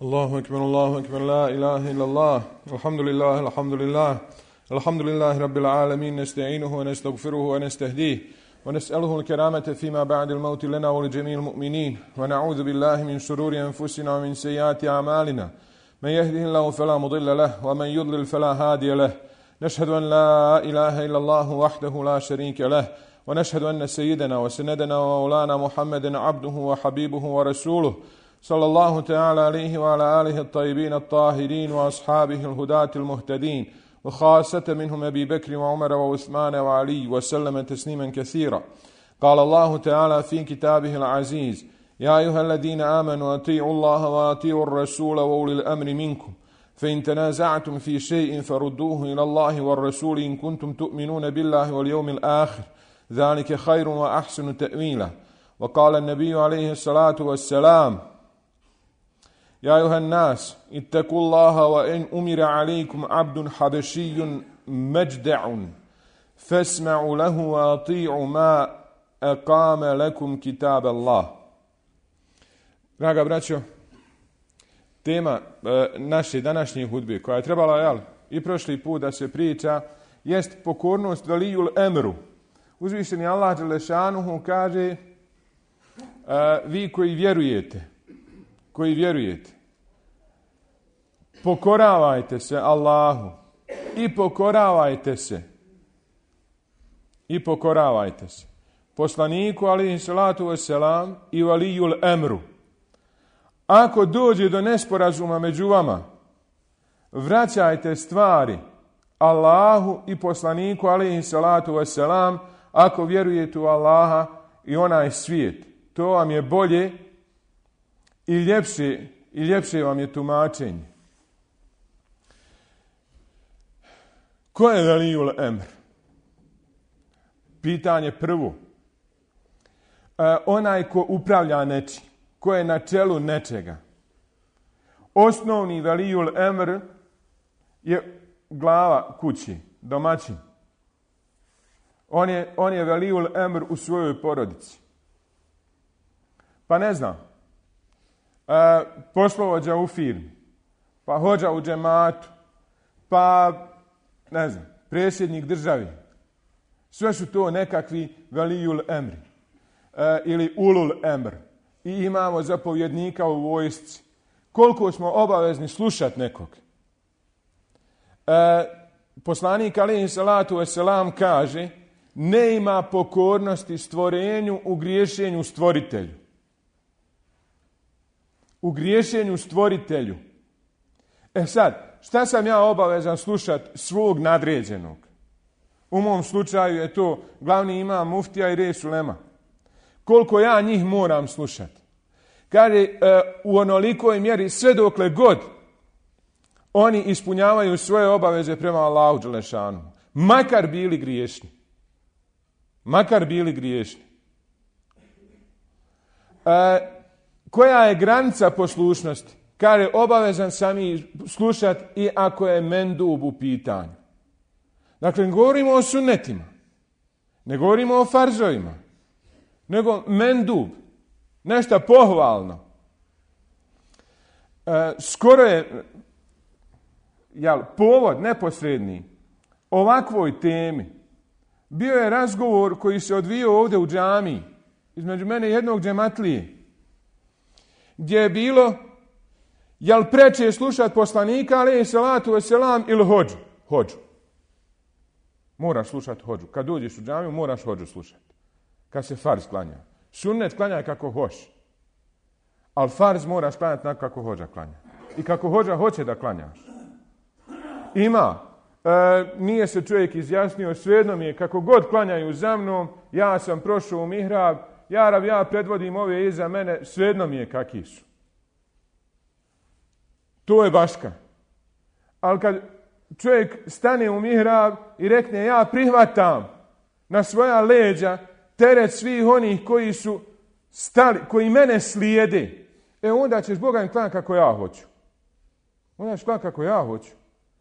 الله أكبر لا إله إلا الله الحمد لله الحمد لله رب العالمين نستعينه ونستغفره ونستهديه ونسأله الكرامة فيما بعد الموت لنا ولجميع المؤمنين ونعوذ بالله من شرور أنفسنا ومن سيئات أعمالنا من يهده الله فلا مضل له ومن يضلل فلا هادي له نشهد أن لا إله إلا الله وحده لا شريك له ونشهد أن سيدنا وسندنا ومولانا محمدا عبده وحبيبه ورسوله صلى الله تعالى عليه وعلى آله الطيبين الطاهرين وأصحابه الهداة المهتدين وخاصة منهم أبي بكر وعمر وعثمان وعلي وسلم تسليما كثيرا. قال الله تعالى في كتابه العزيز: يا أيها الذين آمنوا أطيعوا الله وأطيعوا الرسول وأولي الأمر منكم فإن تنازعتم في شيء فردوه إلى الله والرسول إن كنتم تؤمنون بالله واليوم الآخر ذلك خير وأحسن تأويلا. وقال النبي عليه الصلاة والسلام: يا أيها الناس اتقوا الله وإن أمر عليكم عبد حبشي مجدع فاسمعوا له وأطيعوا ما أقام لكم كتاب الله. Draga braćo, tema naše današnje hudbe koja je trebala i prošli put da se priča jest pokornost Valijul Emru. Uzvišeni Allah dželešanuhu kaže: vi koji vjerujete, pokoravajte se Allahu i pokoravajte se poslaniku alejhi salatu vesselam i Valijul Emru. Ako dođe do nesporazuma među vama, vraćajte stvari Allahu i poslaniku alejhi salatu vesselam ako vjerujete u Allaha i onaj svijet. To vam je bolje i ljepše vam je tumačenje. Ko je Valijul Emr? Pitanje prvo. Onaj ko upravlja nečim, ko je na čelu nečega. Osnovni Valijul Emr je glava kući, domaćin. On je Valijul Emr u svojoj porodici. Pa ne znam, poslovođa u firmi, pa hođa u džematu, pa ne znam, predsjednik države. Sve su to nekakvi Valijul Emri ili Ulul Emr. I imamo zapovjednika u vojsci. Koliko smo obavezni slušati nekog? Poslanik alejhi salatu vesselam kaže: ne ima pokornosti stvorenju u griješenju stvoritelju. U griješenju stvoritelju. Sad, šta sam ja obavezan slušati svog nadređenog? U mom slučaju je to glavni imam muftija i res ulema. Koliko ja njih moram slušati? Kaže, u onolikoj mjeri sve dokle god oni ispunjavaju svoje obaveze prema Allahu dželešanu. Makar bili griješni. Koja je granica poslušnosti? Kaže, obavezan sam ih slušati i ako je mendub u pitanju. Dakle, ne govorimo o sunnetima, ne govorimo o farzovima, nego mendub, nešto pohvalno. Skoro je povod neposredni ovakvoj temi bio je razgovor koji se odvijao ovdje u džamiji između mene i jednog džematlije, gdje je bilo: jel preče slušati poslanika alejhi salatu vesselam ili hođu? Moraš slušati hođu. Kad dođeš u džamiju moraš hođu slušati. Kad se farz klanja. Sunnet klanjaj kako hoš. Ali farz moraš klanjati tako kako hođa klanja. I kako hođa hoće da klanjaš. Ima. Nije se čovjek izjasnio, svejedno mi je kako god klanjaju za mnom, ja sam prošao u mihrab, ja predvodim ove iza mene, svejedno mi je kakvi su. To je baška. Ali kad čovjek stane u mihrab i rekne: ja prihvatam na svoja leđa teret svih onih koji su stali, koji mene slijede, onda ćeš Boga im klanjati kako ja hoću. Onda ćeš klanjati kako ja hoću.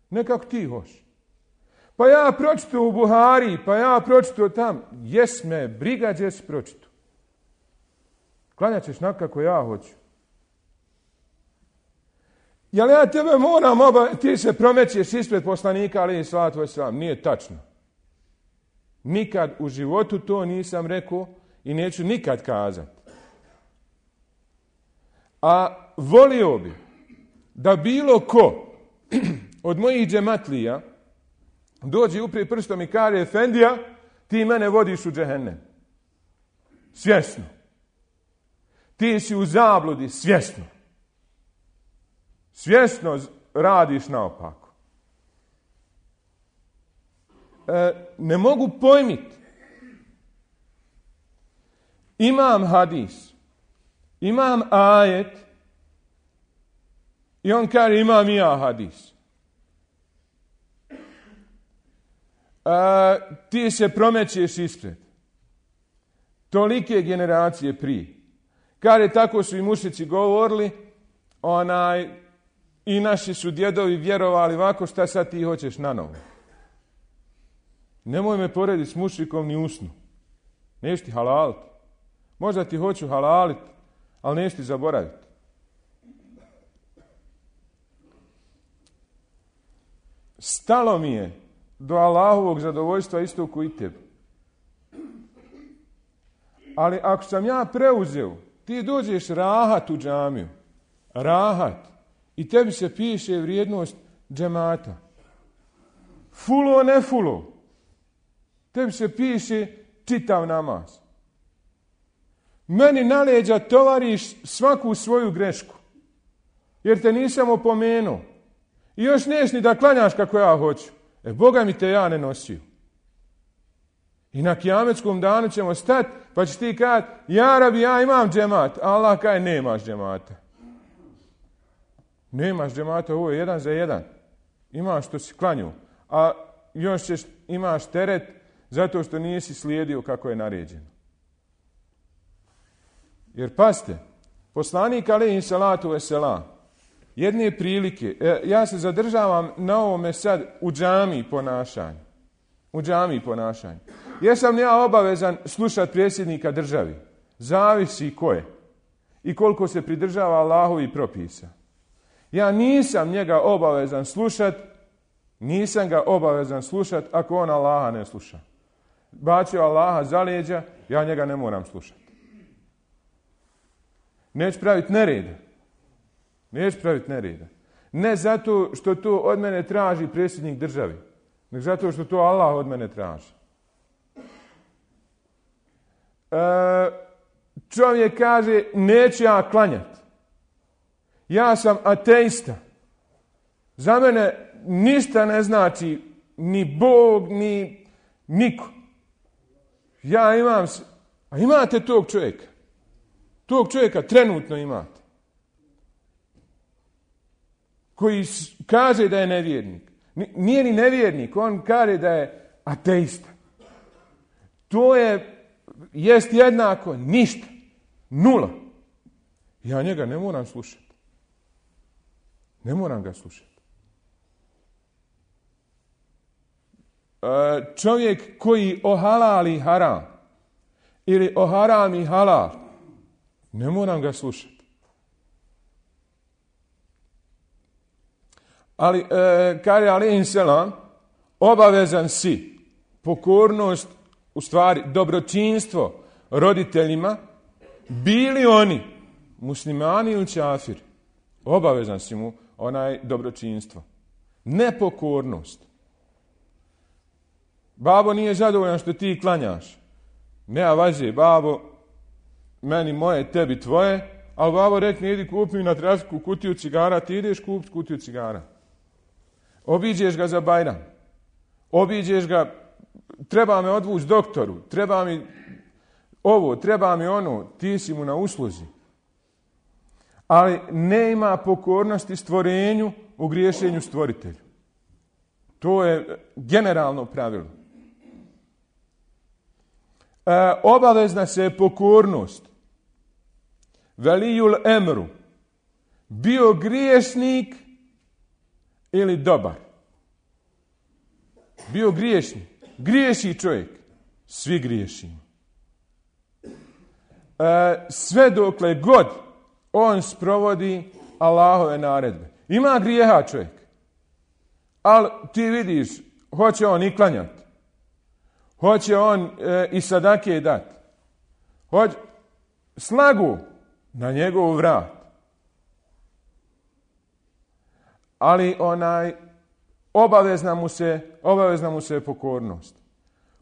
Ne kako ti hoš. Pa ja pročito u Buhari, pa ja pročito tam. Jes me, briga gdje si pročito. Klanjat ćeš na kako ja hoću. jel ja tebe moram ti se promećeš ispred poslanika, ali salatu vesselam. Nije tačno. Nikad u životu to nisam rekao i neću nikad kazati. A volio bi da bilo ko od mojih džematlija dođe upri prstom i kaže, efendija, ti mene vodiš u džehennem. Svjesno. Ti si u zabludi, svjesno. Svjesno radiš naopako. Ne mogu pojmiti. Imam hadis, imam ajet i on kaže imam i ja hadis. Ti se promećeš ispred. Tolike generacije prije. Kaže, tako su i mušici govorili, i naši su djedovi vjerovali ovako, šta sad ti hoćeš na novo. Nemoj me porediti s mušikom ni usnu. Neš ti halaliti. Možda ti hoću halaliti, ali neš ti zaboraviti. Stalo mi je do Allahovog zadovoljstva isto ko i tebi. Ali ako sam ja preuzeo, ti dođeš rahat u džamiju. Rahat. I tebi se piše vrijednost džemata. Fulo, ne fulo. Tebi se piše čitav namaz. Meni na leđa tovariš svaku svoju grešku. Jer te nisam opomenuo. I još neš ni da klanjaš kako ja hoću. Boga mi te ja ne nosio. I na kijametskom danu ćemo stati, pa ćeš ti kazati, ja rabi, ja imam džemat. A Allah kaže, nemaš džemata. Nemaš džemata, ovo je 1 za 1. Imaš što si klanju. A još imaš teret zato što nisi slijedio kako je naređeno. Jer pazite, poslanik alejhi salatu vesselam, jedne prilike, ja se zadržavam na ovome sad u džamiji ponašanju. U džamiji ponašanju. Jesam li ja obavezan slušati predsjednika državi? Zavisi ko je. I koliko se pridržava Allahovi propisa. Ja nisam njega obavezan slušati, nisam ga obavezan slušati ako on Allaha ne sluša. Bacio Allaha za leđa, ja njega ne moram slušati. Neću praviti nereda. Neću praviti nereda. Ne zato što to od mene traži predsjednik državi, nego zato što to Allah od mene traži. Čovjek kaže, neću ja klanjati. Ja sam ateista. Za mene ništa ne znači ni Bog, ni niko. Ja imam... A imate tog čovjeka. Tog čovjeka trenutno imate. Koji kaže da je nevjernik. Nije ni nevjernik, on kaže da je ateista. To jest jednako ništa. Nula. Ja njega ne moram slušati. Ne moram ga slušati. Čovjek koji ohalali haram ili oharami halal, ne moram ga slušati. Ali, kaže alejhi selam, obavezan si pokornost, u stvari dobročinstvo roditeljima, bili oni muslimani ili čafiri. Obavezan si mu dobročinstvo. Nepokornost. Babo nije zadovoljan što ti klanjaš. Nema važe, babo, meni moje, tebi tvoje, ali babo rekne, idi kupi na trafku kutiju cigara, ti ideš kupiti kutiju cigara. Obiđeš ga za Bajram. Obiđeš ga, treba me odvući doktoru, treba mi ovo, treba mi ono, ti si mu na usluzi. Ali nema pokornosti stvorenju u griješenju stvoritelju. To je generalno pravilo. Obavezna se pokornost. Velijul emru. Bio griješnik ili dobar. Bio griješnik. Griješi čovjek. Svi griješimo. Sve dokle god on sprovodi Allahove naredbe. Ima grijeha čovjek. Ali ti vidiš, hoće on i klanjati. Hoće on i sadake dati. Slagu na njegov vrat. Ali obavezna mu se pokornost.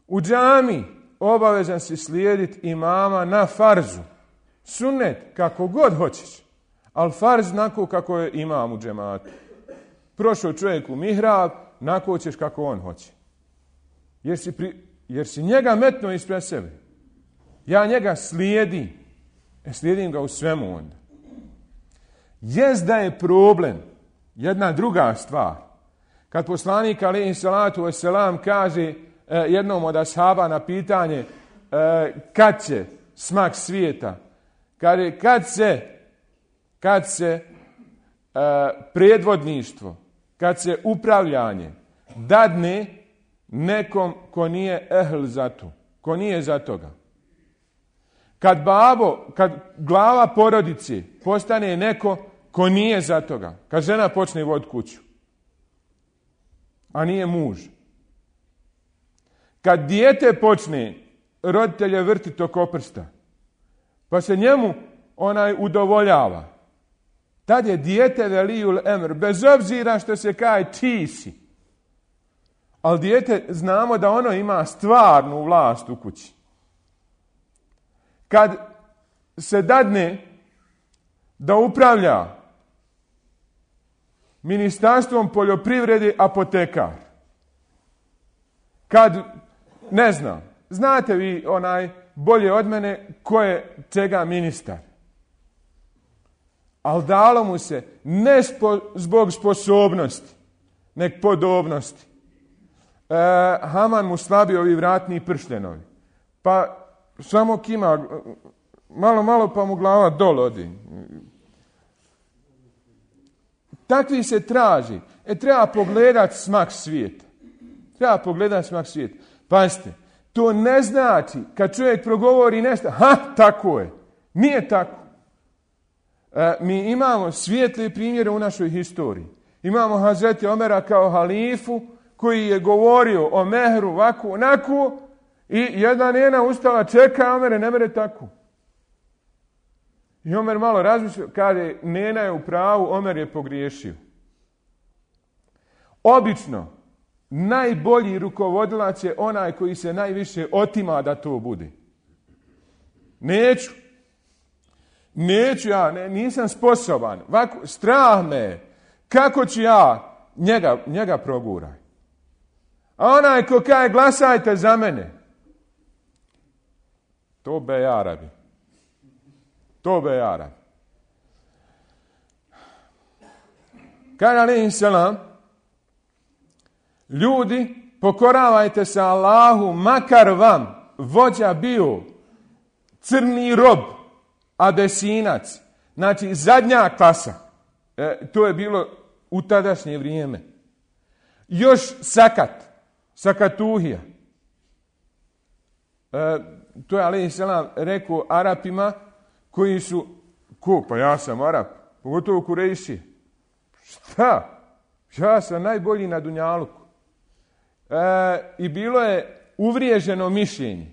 U džami obavezan si slijediti imama na farzu. Sunnet kako god hoćeš, ali farz nako kako je imam u džematu. Prošao čovjek u mihrab, nako ćeš kako on hoće. Jer si njega metnuo ispred sebe. Ja njega slijedim ga u svemu onda. Jest da je problem jedna druga stvar. Kad poslanik alejhi salatu vesselam kaže jednom od ashaba na pitanje kad će smak svijeta, kaže kad se predvodništvo, kad se upravljanje dadne nekom ko nije ehl za to, ko nije za toga. Kad glava porodice postane neko ko nije za toga, kad žena počne voditi kuću, a nije muž. Kad dijete počne roditelje vrtiti oko prsta, pa se njemu udovoljava, tad je dijete velijul emr, bez obzira što se kaže ti si. Ali dijete znamo da ono ima stvarnu vlast u kući. Kad se dadne da upravlja Ministarstvom poljoprivrede apotekar. Kad, ne znam, znate vi bolje od mene ko je čega ministar. Ali dalo mu se ne zbog sposobnosti, nek podobnosti. Haman mu slabi ovi vratni prštenovi. Pa samo kima, malo pa mu glava dol odi. Takvi se traži. Treba pogledati smak svijeta. Pazite, to ne znači kad čovjek progovori nešto, tako je. Nije tako. Mi imamo svijetli primjere u našoj historiji. Imamo Hazreti Omera kao halifu koji je govorio o mehru ovako, onako i jedna njena ustala čeka, Omere, ne mere tako. I Omer malo razmišljao, kaže, nena je u pravu, Omer je pogriješio. Obično, najbolji rukovodilac je onaj koji se najviše otima da to bude. Neću ja, nisam sposoban. Ovako, strah me, kako ću ja njega proguraj. A onaj ko kaže glasajte za mene, to be Arabi. Kaže alejhi selam, ljudi, pokoravajte se Allahu, makar vam vođa bio crni rob, abesinac, znači zadnja klasa. To je bilo u tadašnje vrijeme. Još sakatuhija. To je alejhi selam rekao Arapima koji su, pa ja sam Arap, pogotovo Kurejši. Šta? Ja sam najbolji na dunjaluku. I bilo je uvriježeno mišljenje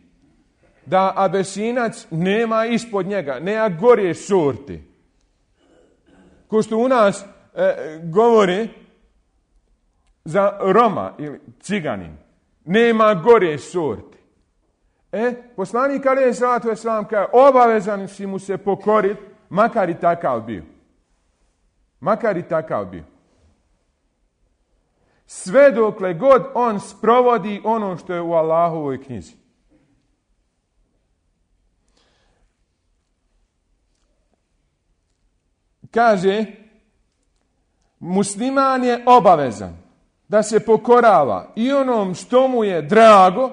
da abesinac nema ispod njega, nema gore sorte. Ko što u nas govore za Roma ili Ciganin, nema gore sorte. Poslanik alejhi salatu vesselam kaže, obavezan si mu se pokoriti, makar i takav bio. Sve dokle god on sprovodi ono što je u Allahovoj knjizi. Kaže, musliman je obavezan da se pokorava i onom što mu je drago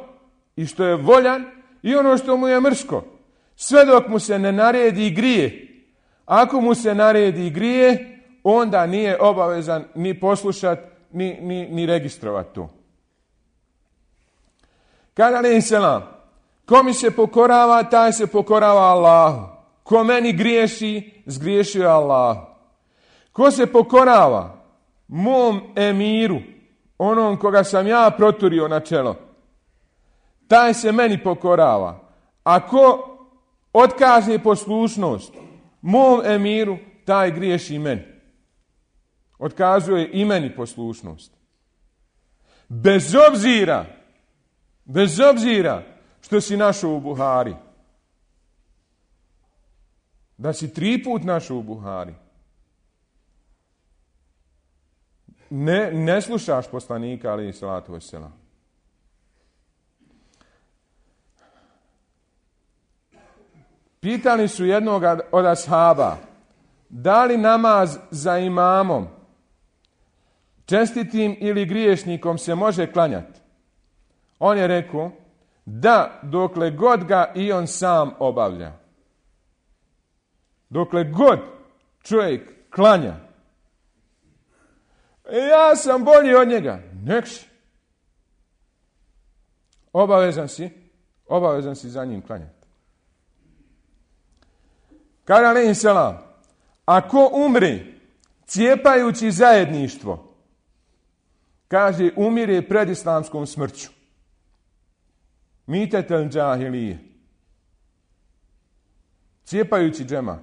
i što je voljan i ono što mu je mrsko. Sve dok mu se ne naredi grije. Ako mu se naredi grije, onda nije obavezan ni poslušati, ni registrovati to. Kaže alejhi selam, ko mi se pokorava, taj se pokorava Allahu. Ko meni griješi, zgriješio je Allahu. Ko se pokorava mom emiru, onom koga sam ja proturio na čelo, taj se meni pokorava. Ako otkaže poslušnost mom emiru, taj griješi meni. Otkazuje i meni poslušnost. Bez obzira što si našao u Buhari. Da si 3 put našao u Buhari. Ne slušaš poslanika, alejhi salatu vesselam. Pitali su jednog od ashaba, da li namaz za imamom, čestitim ili griješnikom, se može klanjati? On je rekao, da, dokle god ga i on sam obavlja. Dokle god čovjek klanja. Ja sam bolji od njega. Nek si. Obavezan si za njim klanjati. Kaže alejhi selam, ako umri cijepajući zajedništvo, kaže, umire pred islamskom smrću. Mitetel džahilije. Cijepajući džemat.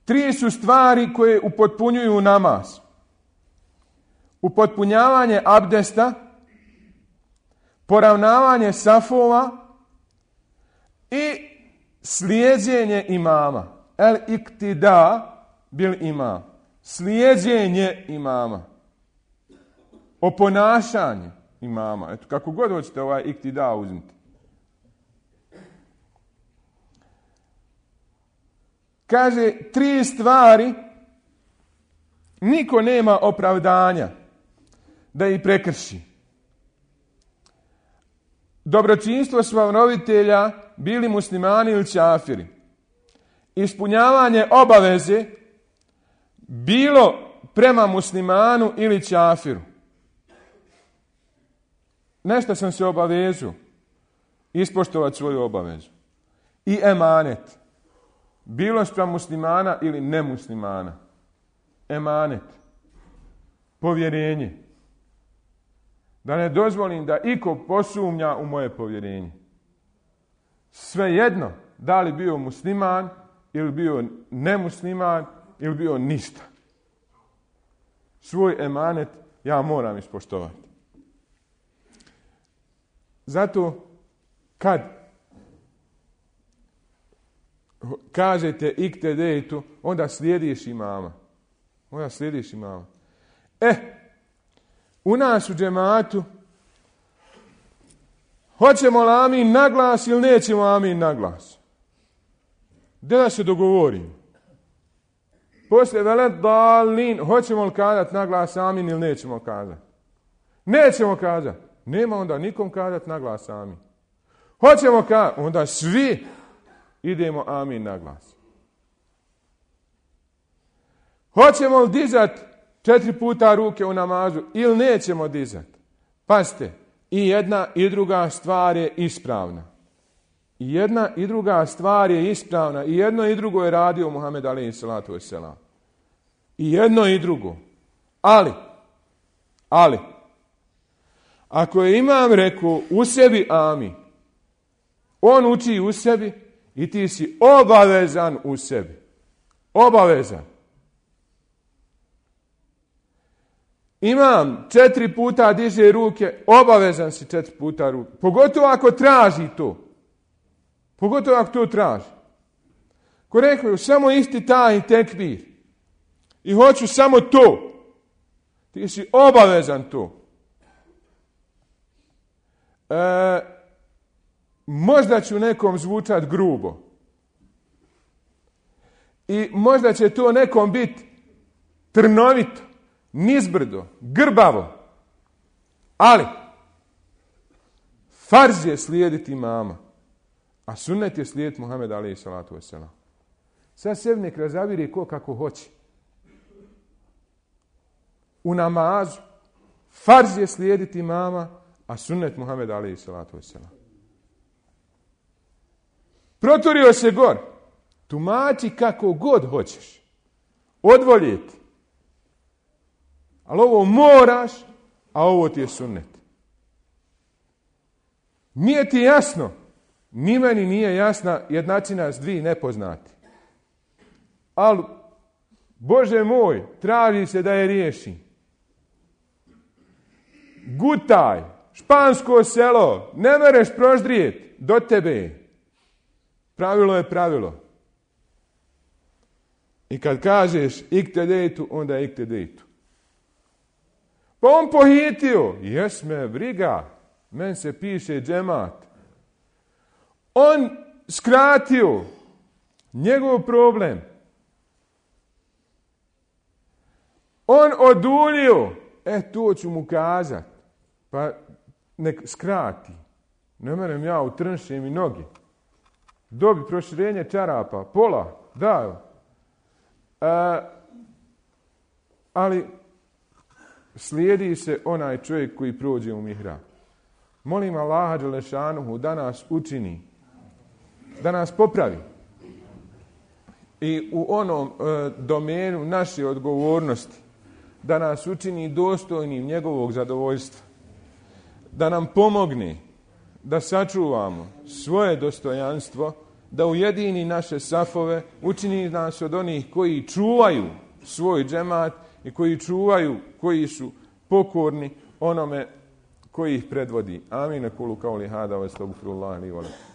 3 su stvari koje upotpunjuju namaz. Upotpunjavanje abdesta, poravnavanje safova i slijedjenje imama. El iktida bil imam. Slijedjenje imama. Oponašanje imama. Eto, kako god hoćete ovaj iktida uzmite. Kaže, 3 stvari niko nema opravdanja da ih prekrši. Dobročinstvo svojih roditelja, bili muslimani ili čafiri. Ispunjavanje obaveze, bilo prema muslimanu ili čafiru. Nešto sam se obavezao, ispoštovati svoju obavezu. I emanet, bilo spram muslimana ili nemuslimana. Emanet, povjerenje. Da ne dozvolim da iko posumnja u moje povjerenje. Svejedno, da li bio musliman ili bio nemusliman ili bio ništa. Svoj emanet ja moram ispoštovati. Zato kad kažete iktedejtu, onda slijediš imama. U nas u džematu hoćemo li amin na glas ili nećemo amin na glas? Gdje da se dogovorimo? Poslije velet dalin, hoćemo li kazati na glas amin ili nećemo kazati? Nećemo kazati. Nema onda nikom kazati na glas amin. Hoćemo kazati, onda svi idemo amin na glas. Hoćemo li dizati 4 puta ruke u namazu ili nećemo dizati? Pazite, i jedna i druga stvar je ispravna. I jedna i druga stvar je ispravna. I jedno i drugo je radio Muhammed alejhi salatu vesselam. I jedno i drugo. Ali, ako je imam rekao u sebi amin, on uči u sebi i ti si obavezan u sebi. Obavezan. Imam 4 puta diže ruke, obavezan si 4 puta ruke. Pogotovo ako traži to. Pogotovo ako to traži. Ko rekao, samo isti taj tekbir. I hoću samo to. Ti si obavezan to. Možda ću nekom zvučati grubo. I možda će to nekom biti trnovito, nizbrdo, grbavo. Ali, farz je slijediti imama. A sunnet je slijediti Muhammed alejhi salatu vesselam. Sad sebi nek razaviri ko kako hoće. U namazu farz je slijediti imama, a sunnet Muhammed alejhi salatu vesselam. Proturio se gor. Tumači kako god hoćeš. odvoljeti. Ali ovo moraš, a ovo ti je sunnet. Nije ti jasno, ni meni nije jasna jednačina s dvije nepoznati. Ali, Bože moj, traži se da je riješi. Gutaj, špansko selo, ne mereš proždrijeti do tebe. Pravilo je pravilo. I kad kažeš iktedejtu, onda je iktedejtu. Pa on pohitio, jes me briga, men se piše džemat. On skratio, njegov problem. On oduljio, to ću mu kazat, pa nek skrati. Ne merem ja, utrnšim i noge. Dobi proširenje čarapa, pola, da. Ali slijedi se onaj čovjek koji prođe u mihrab. Molim Allaha dželešanuhu da nas učini, da nas popravi. I u onom domenu naše odgovornosti, da nas učini dostojnim njegovog zadovoljstva. Da nam pomogne da sačuvamo svoje dostojanstvo, da ujedini naše safove, učini nas od onih koji čuvaju svoj džemat i koji su pokorni onome koji ih predvodi. Amin. Kulu kauli hada wa astagfirullah li wa lakum.